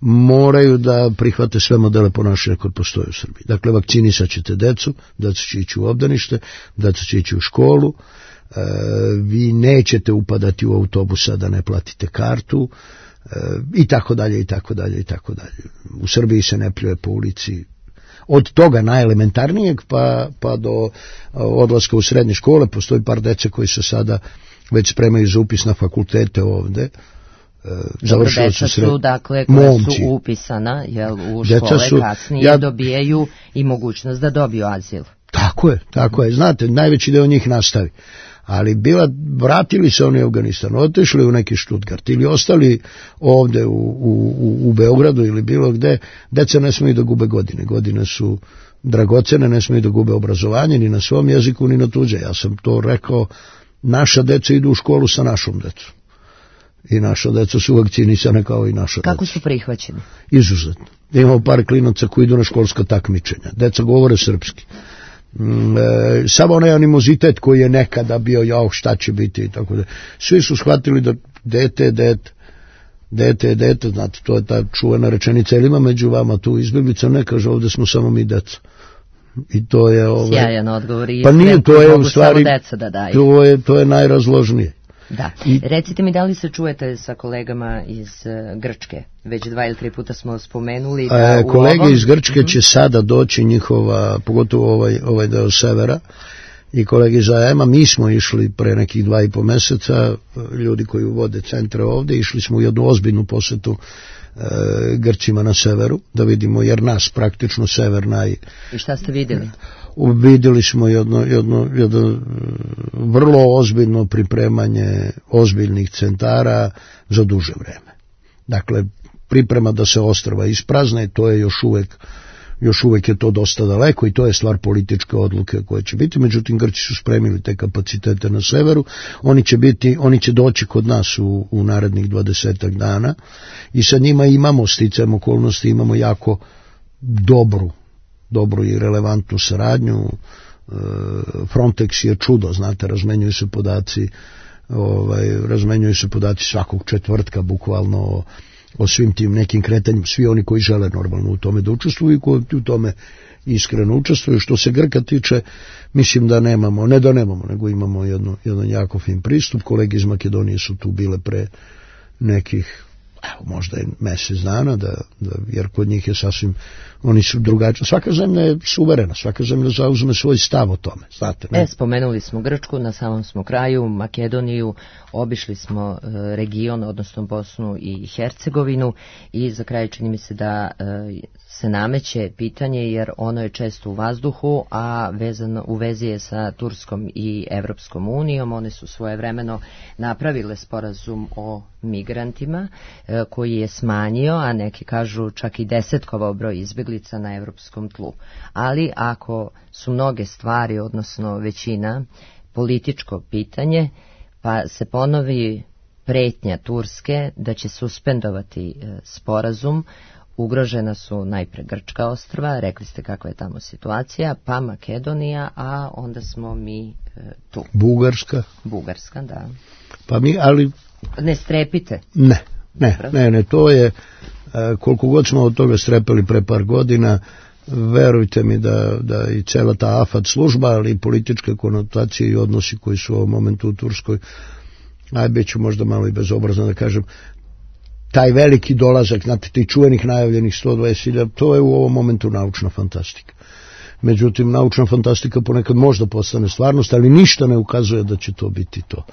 moraju da prihvate sve modele ponašanja koje postoje u Srbiji. Dakle, vakcinisat ćete decu, deca će ići u obdanište, deca će ići u školu, vi nećete upadati u autobusa da ne platite kartu, i tako dalje, i tako dalje, i tako dalje. U Srbiji se ne pljuje po ulici. Od toga najelementarnijeg pa do odlaska u srednje škole. Postoji par dece koji se sada već spremaju za upis na fakultete ovde. Deca su, dakle, koja su upisana u škole kasnije dobijaju i mogućnost da dobiju azil. Tako je. Znate, najveći deo njih nastavi. Ali vratili se oni u Afganistan, otišli u neki Stuttgart ili ostali ovde u Beogradu ili bilo gde, deca ne smiju da gube godine su dragocene, ne smiju da gube obrazovanje ni na svom jeziku ni na tuđe. Ja sam to rekao, naša deca idu u školu sa našom decom i naša deca su vakcinisane kao i naša deca. Kako su prihvaćeni? Izuzetno. Imamo par klinaca koji idu na školska takmičenja, deca govore srpski. Samo onaj animozitet koji je nekada bio, šta će biti i tako da. Svi su shvatili da dete, znate, to je ta čuvena rečenica, ili ima među vama tu izbjeglica, ne kaže, ovdje smo samo mi deca. I to je sjajan odgovor i pa nije, to je u stvari deca da daju. To je najrazložnije. Da. Recite mi, da li se čujete sa kolegama iz Grčke? Već 2 ili 3 puta smo spomenuli da kolege iz Grčke će sada doći njihova, pogotovo ovaj deo severa, i kolege iz AM-a. Mi smo išli pre nekih 2,5 meseca, ljudi koji vode centre ovde, išli smo u jednu ozbiljnu posetu Grcima na severu, da vidimo, jer nas praktično sever I šta ste vidjeli? Vidjeli smo jedno vrlo ozbiljno pripremanje ozbiljnih centara za duže vreme. Dakle, priprema da se ostrva isprazne, to je još uvek je to dosta daleko i to je stvar političke odluke koje će biti. Međutim, Grci su spremili te kapacitete na severu, oni će doći kod nas u narednih 20 dana i sa njima imamo, sticajem okolnosti, imamo jako dobru i relevantnu saradnju. Frontex je čudo, znate, razmenjuju se podaci svakog četvrtka bukvalno o svim tim nekim kretanjima, svi oni koji žele normalno u tome da učestvuju i koji u tome iskreno učestvuju. Što se Grka tiče, mislim da nemamo, ne da nemamo, nego imamo jedan jako fin pristup. Kolege iz Makedonije su tu bile pre nekih, možda je mjesec dana, jer kod njih je sasvim, oni su drugačiji. Svaka zemlja je suverena, svaka zemlja zauzme svoj stav o tome, znate. Ne? Spomenuli smo Grčku, na samom smo kraju, Makedoniju, obišli smo region, odnosno Bosnu i Hercegovinu, i za kraj čini mi se da se nameće pitanje, jer ono je često u vazduhu, a u vezi je sa Turskom i Evropskom unijom. One su svojevremeno napravile sporazum o migrantima koji je smanjio, a neki kažu čak i desetkovao broj izbjeglica na evropskom tlu. Ali ako su mnoge stvari, odnosno većina, političko pitanje, pa se ponovi pretnja Turske da će suspendovati sporazum, ugrožena su najpre Grčka ostrva, rekli ste kakva je tamo situacija, pa Makedonija, a onda smo mi tu. Bugarska, da. Pa mi, ali... Ne strepite. Ne, to je, koliko god smo od toga strepeli pre par godina, verujte mi da i cela ta AFAD služba, ali i političke konotacije i odnosi koji su u ovom momentu u Turskoj, bit ću možda malo i bezobrazno da kažem, taj veliki dolazak, znate, tih čuvenih najavljenih 120.000, to je u ovom momentu naučna fantastika. Međutim, naučna fantastika ponekad možda postane stvarnost, ali ništa ne ukazuje da će to biti to.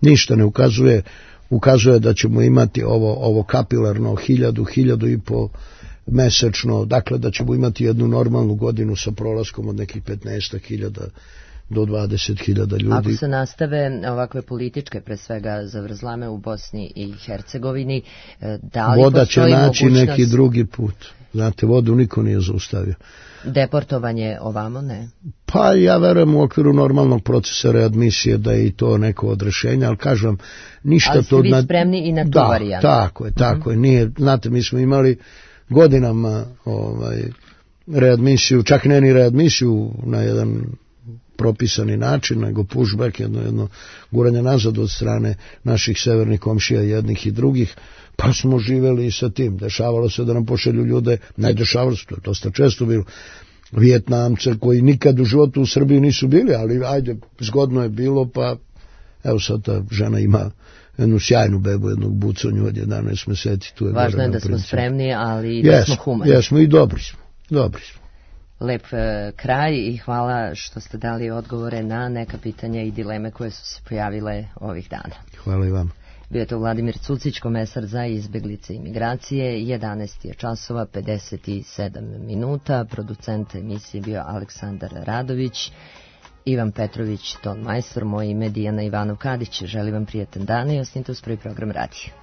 Ništa ne ukazuje da ćemo imati ovo kapilarno 1.000-1.500 mesečno, dakle da ćemo imati jednu normalnu godinu sa prolaskom od nekih 15.000 do 20.000 ljudi. Ako se nastave ovakve političke, pre svega zavrzlame u Bosni i Hercegovini, da li voda će postoji naći mogućnost... neki drugi put. Znate, vodu niko nije zaustavio. Deportovanje ovamo, ne? Pa ja verujem u okviru normalnog procesa readmisije da je i to neko od rešenja, ali kažem, ništa ali to... Ali ste vi spremni i na tu varijantu? Tako je. Nije, znate, mi smo imali godinama readmisiju, čak ne ni readmisiju na jedan propisani način, nego pushback, jedno guranje nazad od strane naših severnih komšija, jednih i drugih, pa smo živeli i sa tim. Dešavalo se da nam pošalju ljude, dešavalo se, to je dosta često bilo, Vijetnamce koji nikad u životu u Srbiji nisu bili, ali ajde, zgodno je bilo, pa evo sad ta žena ima jednu sjajnu bebu, jednog buconju od 11 meseci. Tu je važno je da smo spremni, ali i da smo humani. Jesmo i dobri smo. Lep kraj i hvala što ste dali odgovore na neka pitanja i dileme koje su se pojavile ovih dana. Hvala i vam. Bio je to Vladimir Cucić, komesar za izbjeglice i migracije. 11 je časova, 57 minuta. Producent emisije bio Aleksandar Radović, Ivan Petrović, ton majstor, moje ime Dijana Ivanov Kadić. Želim vam prijatan dan i ostanite uz prvi program radija.